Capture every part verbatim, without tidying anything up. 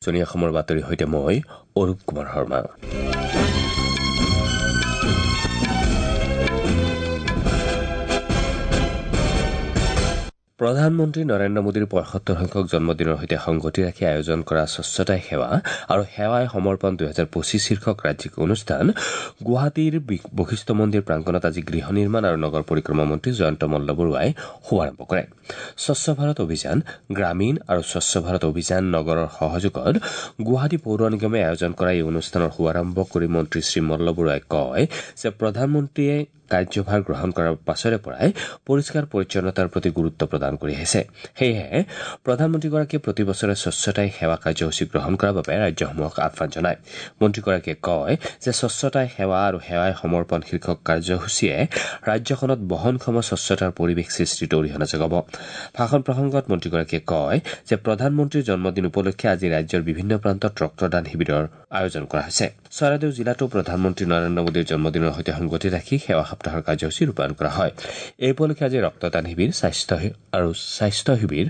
উজনি অসমৰ বাতৰিৰ সৈতে মই অৰূপ কুমাৰ শৰ্মা। প্ৰধানমন্ত্ৰী নৰেন্দ্ৰ মোদীৰ পঁয়সত্তৰ সংখ্যক জন্মদিনৰ সৈতে সংগতি ৰাখি আয়োজন কৰা স্বচ্ছতাই সেৱা আৰু সেৱাই সমৰ্পণ দুহেজাৰ পঁচিছ শীৰ্ষক ৰাজ্যিক অনুষ্ঠান গুৱাহাটীৰ বশিষ্ঠ মন্দিৰ প্ৰাংগণত আজি গৃহ নিৰ্মাণ আৰু নগৰ পৰিক্ৰমা মন্ত্ৰী জয়ন্ত মল্ল বৰুৱাই শুভাৰম্ভ কৰে। স্বচ্ছ ভাৰত অভিযান গ্ৰামীণ আৰু স্বচ্ছ ভাৰত অভিযান নগৰৰ সহযোগত গুৱাহাটী পৌৰ নিগমে আয়োজন কৰা এই অনুষ্ঠানৰ শুভাৰম্ভ কৰি মন্ত্ৰী শ্ৰী মল্ল বৰুৱাই কয় যে প্ৰধানমন্ত্ৰীয়ে কাৰ্যভাৰ গ্ৰহণ কৰাৰ পাছৰে পৰাই পৰিষ্কাৰ পৰিচ্ছন্নতাৰ প্ৰতি গুৰুত্ব প্ৰদান কৰি আহিছে। সেয়েহে প্ৰধানমন্ত্ৰীগৰাকীয়ে প্ৰতি বছৰে স্বচ্ছতাই সেৱা কাৰ্যসূচী গ্ৰহণ কৰাৰ বাবে ৰাজ্যসমূহক আহ্বান জনায়। মন্ত্ৰীগৰাকীয়ে কয় যে স্বচ্ছতাই সেৱা আৰু সেৱাই সমৰ্পণ শীৰ্ষক কাৰ্যসূচীয়ে ৰাজ্যখনত বহনক্ষম স্বচ্ছতাৰ পৰিৱেশ সৃষ্টিত অৰিহণা যোগাব। ভাষণ প্ৰসংগত মন্ত্ৰীগৰাকীয়ে কয় যে প্ৰধানমন্ত্ৰীৰ জন্মদিন উপলক্ষে আজি ৰাজ্যৰ বিভিন্ন প্ৰান্তত ৰক্তদান শিবিৰৰ আয়োজন কৰা হৈছে। চৰাইদেউ জিলাতো প্ৰধানমন্ত্ৰী নৰেন্দ্ৰ মোদীৰ জন্মদিনৰ সৈতে সংগতি ৰাখি সেৱা সপ্তাহৰ কাৰ্যসূচী ৰূপায়ণ কৰা হয়। এই উপলক্ষে আজি ৰক্তদান শিবিৰ, স্বাস্থ্য আৰু স্বাস্থ্য শিবিৰ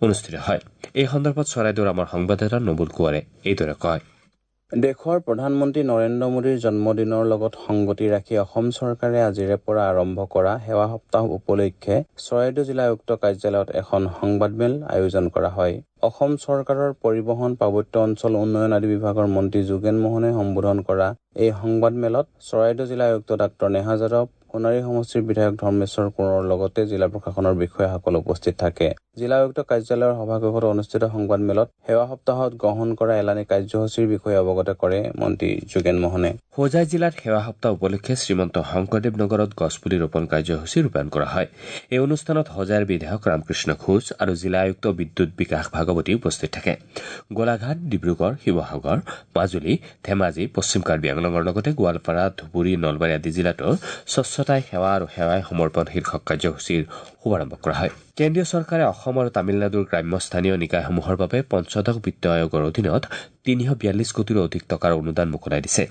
অনুষ্ঠিত হয়। এই সন্দৰ্ভত চৰাইদেউৰ আমাৰ সংবাদদাতা নবুল কোঁৱৰে এইদৰে কয়। দেশৰ প্ৰধানমন্ত্ৰী নৰেন্দ্ৰ মোদীৰ জন্মদিনৰ লগত সংগতি ৰাখি অসম চৰকাৰে আজিৰে পৰা আৰম্ভ কৰা সেৱা সপ্তাহ উপলক্ষে চৰাইদেউ জিলা আয়ুক্ত কাৰ্যালয়ত এখন সংবাদমেল আয়োজন কৰা হয়। অসম চৰকাৰৰ পৰিবহণ, পাৰ্বত্য অঞ্চল উন্নয়ন আদি বিভাগৰ মন্ত্ৰী যোগেন মহনে সম্বোধন কৰা এই সংবাদমেলত চৰাইদেউ জিলা আয়ুক্ত ডাঃ নেহা যাদৱ, সোণাৰী সমষ্টিৰ বিধায়ক ধৰ্মেশ্বৰ কোঁৱৰৰ লগতে জিলা প্ৰশাসনৰ বিষয়াসকল উপস্থিত থাকে। জিলা আয়ুক্ত কাৰ্যালয়ৰ সভাকক্ষত অনুষ্ঠিত সংবাদমেলত সেৱা সপ্তাহত গ্ৰহণ কৰা এলানি কাৰ্যসূচীৰ বিষয়ে অৱগত কৰে মন্ত্ৰী যোগেন মহনে। হোজাই জিলাত সেৱা সপ্তাহ উপলক্ষে শ্ৰীমন্ত শংকৰদেৱ নগৰত গছপুলি ৰোপণ কাৰ্যসূচী ৰূপায়ণ কৰা হয়। এই অনুষ্ঠানত হোজাইৰ বিধায়ক ৰামকৃষ্ণ ঘোষ আৰু জিলা আয়ুক্ত বিদ্যুৎ বিকাশ ভাগৱতী উপস্থিত থাকে। গোলাঘাট, ডিব্ৰুগড়, শিৱসাগৰ, মাজুলী, ধেমাজি, পশ্চিম কাৰ্বি আংলঙৰ লগতে গোৱালপাৰা, ধুবুৰী, নলবাৰী আদি জিলাতো স্বচ্ছতাই সেৱা আৰু সেৱাই সমৰ্পণ শীৰ্ষক কাৰ্যসূচীৰ শুভাৰম্ভ কৰা হয়। কেন্দ্ৰীয় চৰকাৰে অসম আৰু তামিলনাডুৰ গ্ৰাম্য স্থানীয় নিকায়সমূহৰ বাবে পঞ্চদশ বিত্ত আয়োগৰ অধীনত তিনিশ বিয়াল্লিছ কোটিৰো অধিক টকাৰ অনুদান মোকলাই দিছে।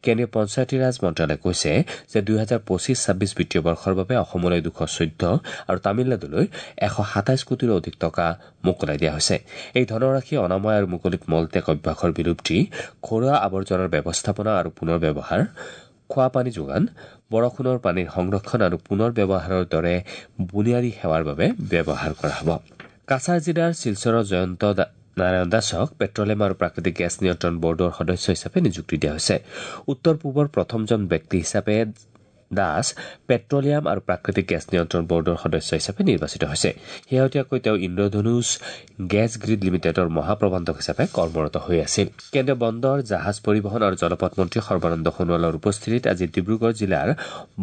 কেন্দ্ৰীয় পঞ্চায়তীৰাজ মন্ত্ৰালয়ে কৈছে যে দুহেজাৰ পঁচিছ ছাব্বিছ বিত্তীয় বৰ্ষৰ বাবে অসমলৈ দুশ চৈধ্য আৰু তামিলনাডুলৈ এশ সাতাইছ কোটিৰো অধিক টকা মোকলাই দিয়া হৈছে। এই ধনৰাশি অনাময় আৰু মুকলিত মলত্যাগ অভ্যাসৰ বিলুপ্তি, ঘৰুৱা আৱৰ্জনাৰ ব্যৱস্থাপনা আৰু পুনৰ ব্যৱহাৰ, খোৱা পানী যোগান, বৰষুণৰ পানীৰ সংৰক্ষণ আৰু পুনৰ ব্যৱহাৰৰ দৰে বুনিয়াদী সেৱাৰ বাবে ব্যৱহাৰ কৰা হ'ব। কাছাৰ জিলাৰ শিলচৰৰ জয়ন্ত নাৰায়ণ দাসক পেট্ৰলিয়াম আৰু প্ৰাকৃতিক গেছ নিয়ন্ত্ৰণ বৰ্ডৰ সদস্য হিচাপে নিযুক্তি দিয়া হৈছে। উত্তৰ পূবৰ প্ৰথমজন ব্যক্তি হিচাপে দাস পেট্ৰলিয়াম আৰু প্ৰাকৃতিক গেছ নিয়ন্ত্ৰণ বৰ্ডৰ সদস্য হিচাপে নিৰ্বাচিত হৈছে। শেহতীয়াকৈ তেওঁ ইন্দ্ৰধনুষ গেছ গ্ৰীড লিমিটেডৰ মহাপ্ৰবন্ধক হিচাপে কৰ্মৰত হৈ আছিল। কেন্দ্ৰীয় বন্দৰ, জাহাজ পৰিবহণ আৰু জলপথ মন্ত্ৰী সৰ্বানন্দ সোণোৱালৰ উপস্থিতিত আজি ডিব্ৰুগড় জিলাৰ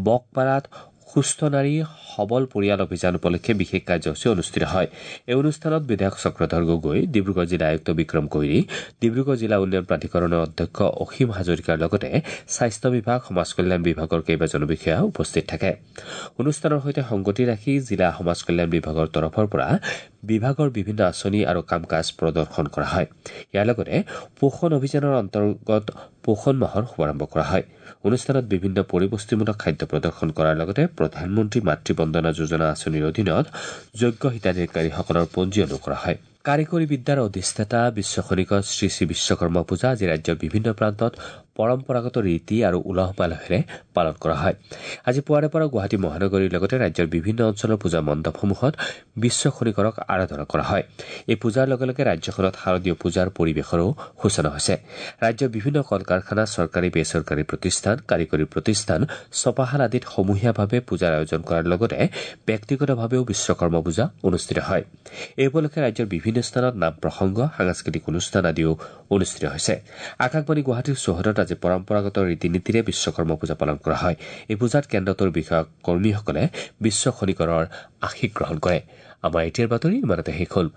বকপাৰাত সুস্থ নাৰী সবল পৰিয়াল অভিযান উপলক্ষে বিশেষ কাৰ্যসূচী অনুষ্ঠিত হয়। এই অনুষ্ঠানত বিধায়ক চক্ৰধৰ গগৈ, ডিব্ৰুগড় জিলা আয়ুক্ত বিক্ৰম কৈৰী, ডিব্ৰুগড় জিলা উন্নয়ন প্ৰাধিকৰণৰ অধ্যক্ষ অসীম হাজৰিকাৰ লগতে স্বাস্থ্য বিভাগ, সমাজ কল্যাণ বিভাগৰ কেইবাজনো বিষয়া উপস্থিত থাকে। অনুষ্ঠানৰ সৈতে সংগতি ৰাখি জিলা সমাজ কল্যাণ বিভাগৰ তৰফৰ পৰা বিভাগৰ বিভিন্ন আঁচনি আৰু কাম কাজ প্ৰদৰ্শন কৰা হয়। ইয়াৰ লগতে পোষণ অভিযানৰ অন্তৰ্গত পোষণ মাহৰ শুভাৰম্ভ কৰা হয়। অনুষ্ঠানত বিভিন্ন পৰিপুষ্টিমূলক খাদ্য প্ৰদৰ্শন কৰাৰ লগতে প্ৰধানমন্ত্ৰী মাতৃ বন্দনা যোজনা আঁচনিৰ অধীনত যোগ্য হিতাধিকাৰীসকলৰ পঞ্জীয়নো কৰা হয়। কাৰিকৰী বিদ্যাৰ অধিষ্ঠাতা বিশ্বখনিকৰ শ্ৰী শ্ৰী বিশ্বকৰ্মা পূজা আজি ৰাজ্যৰ বিভিন্ন প্ৰান্তত পৰম্পৰাগত ৰীতি আৰু উলহ মালহেৰে পালন কৰা হয়। আজি পুৱাৰে পৰা গুৱাহাটী মহানগৰীৰ লগতে ৰাজ্যৰ বিভিন্ন অঞ্চলৰ পূজা মণ্ডপসমূহত বিশ্বখনিকৰক আৰাধনা কৰা হয়। এই পূজাৰ লগে লগে ৰাজ্যখনত শাৰদীয় পূজাৰ পৰিৱেশৰো সূচনা হৈছে। ৰাজ্যৰ বিভিন্ন কল কাৰখানা, চৰকাৰী বেচৰকাৰী প্ৰতিষ্ঠান, কাৰিকৰী প্ৰতিষ্ঠান, ছপাশাল আদিত সমূহীয়াভাৱে পূজাৰ আয়োজন কৰাৰ লগতে ব্যক্তিগতভাৱেও বিশ্বকৰ্মা পূজা অনুষ্ঠিত হয়। এই উপলক্ষে ৰাজ্যৰ বিভিন্ন স্থানত নাম প্ৰসংগ, সাংস্কৃতিক অনুষ্ঠান আদিও অনুষ্ঠিত হৈছে। আকাশবাণী গুৱাহাটীৰ চৌহদত আজি পৰম্পৰাগত ৰীতি নীতিৰে বিশ্বকৰ্মা পূজা পালন কৰা হয়। এই পূজাত কেন্দ্ৰটোৰ বিষয়া কৰ্মীসকলে বিশ্বখনিকৰৰ আশীষ গ্ৰহণ কৰে। আমাৰ এতিয়াৰ বাতৰি ইমানতে শেষ হ'ল।